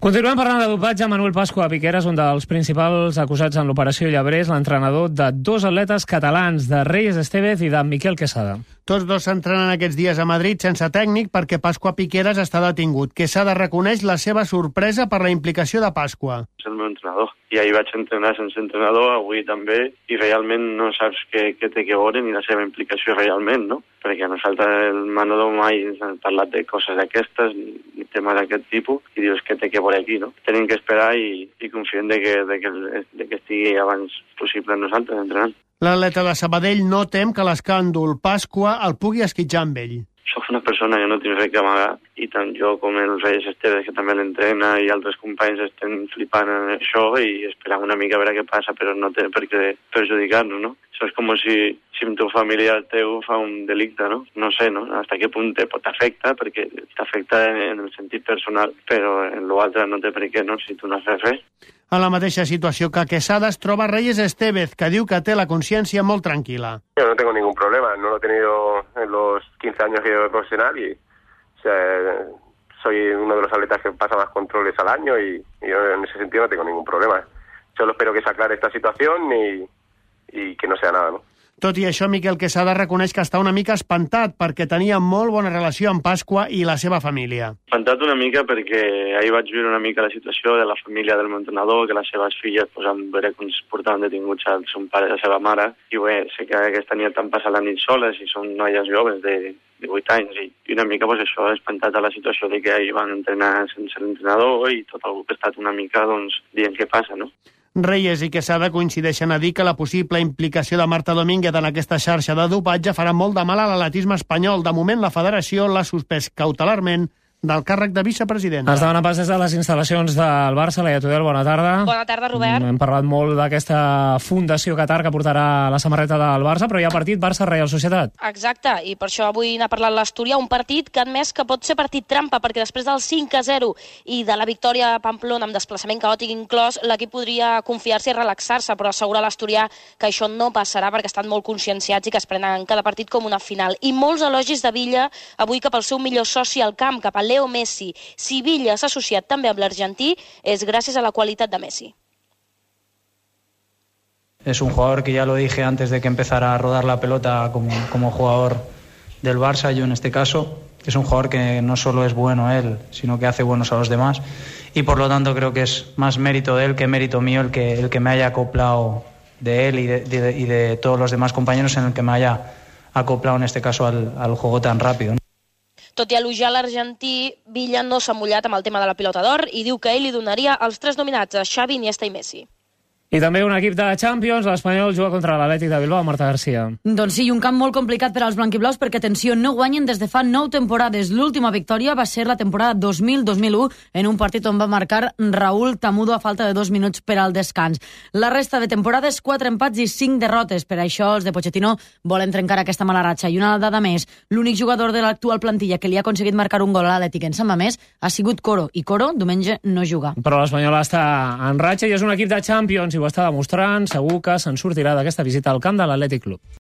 Continuem parlant de dopatge. Manuel Pascua Piqueras, un dels principals acusats en l'operació Llebrers, l'entrenador de dos atletes catalans, de Reyes Estevez i de Miquel Quesada. Tots dos s'entrenen aquests dies a Madrid sense tècnic perquè Pascua Piqueras està detingut. Quesada reconeix la seva sorpresa per la implicació de Pascua. És el meu entrenador i ahir vaig entrenar sense entrenador, avui també, i realment no saps què té que veure ni la seva implicació realment, no? Perquè nosaltres el Manolo mai ens han parlat de coses d'aquestes, ni temes d'aquest tipus, i dius què té que veure aquí, no? Tenim que esperar i confiem de que estigui abans possible amb nosaltres entrenant. L'atleta de Sabadell no tem que l'escàndol Pascua el pugui esquitjar amb ell. Soc una persona que no tinc res que amagar i tant jo com el Reyes Estevez, que també l'entrena, i altres companys estem flipant en això i esperant una mica a veure què passa, però no té per què perjudicar-nos, no? Això és com si un teu familiar teu fa un delicte, no? No sé, no? Hasta què punt t'afecta, perquè t'afecta en el sentit personal, però en l'altre no té per què, no? Si tu no has fet res. En la mateixa situació que Quesada es troba Reyes Estevez, que diu que té la consciència molt tranquil·la. Yo no tengo ningún problema, no lo he tenido en los 15 años que llevo profesional y soy uno de los atletas que pasa más controles al año y yo en ese sentido no tengo ningún problema. Solo espero que se aclare esta situación y que no sea nada, ¿no? Tot i això, Miquel Quesada reconeix que està una mica espantat perquè tenia molt bona relació amb Pascua i la seva família. Espantat una mica perquè ahir vaig viure una mica la situació de la família del meu entrenador, que les seves filles van veure com es portaven detinguts el seu pare i la seva mare, i bé, sé que aquesta nit han passat la nit soles i són noies joves de 8 anys, i una mica això, espantat a la situació de que ahir van entrenar sense l'entrenador i tot el grup ha estat una mica dient què passa, no? Reyes i Quesada coincideixen a dir que la possible implicació de Marta Domínguez en aquesta xarxa de dopatge farà molt de mal a l'atletisme espanyol. De moment, la federació l'ha suspès cautelarment del càrrec de vicepresidenta. Ens demana pas des de les instal·lacions del Barça. Laia Tudel, bona tarda. Bona tarda, Robert. Hem parlat molt d'aquesta Fundació Qatar que portarà la samarreta del Barça, però hi ha partit Barça-Reial Societat. Exacte, i per això avui n'ha parlat l'Astúria, un partit que ha admès que pot ser partit trampa, perquè després del 5-0 i de la victòria a Pamplona amb desplaçament caòtic inclòs, l'equip podria confiar-se i relaxar-se, però assegura l'Astúria que això no passarà perquè estan molt conscienciats i que es prenen cada partit com una final. I molts elogis de Villa avui cap al seu millor soci al camp, cap a Leo Messi. Si Villa s'ha associat també amb l'argentí és gràcies a la qualitat de Messi. Es un jugador que ya lo dije antes de que empezara a rodar la pelota como jugador del Barça, yo en este caso. Es un jugador que no solo es bueno él, sino que hace buenos a los demás. Y por lo tanto creo que es más mérito de él que mérito mío el que me haya acoplado de él y de todos los demás compañeros en el que me haya acoplado en este caso al juego tan rápido, ¿no? Tot i elogiar l'argentí, Villa no s'ha mullat amb el tema de la pilota d'or i diu que ell li donaria els 3 nominats, a Xavi, Iniesta i Messi. I també un equip de Champions, l'Espanyol juga contra l'Atlètic de Bilbao, Marta Garcia. Doncs sí, un camp molt complicat per als blanquiblaus perquè, atenció, no guanyen des de fa 9 temporades. L'última victòria va ser la temporada 2000-2001 en un partit on va marcar Raúl Tamudo a falta de 2 minuts per al descans. La resta de temporades, 4 empats i 5 derrotes. Per això els de Pochettino volen trencar aquesta mala ratxa. I una dada més, l'únic jugador de l'actual plantilla que li ha aconseguit marcar un gol a l'Atlètic en Sant Mamés ha sigut Coro, i Coro diumenge no juga. Però l'Espanyol està en ratxa i és un equip de Champions i ho està demostrant. Segur que se'n sortirà d'aquesta visita al camp de l'Atlètic Club.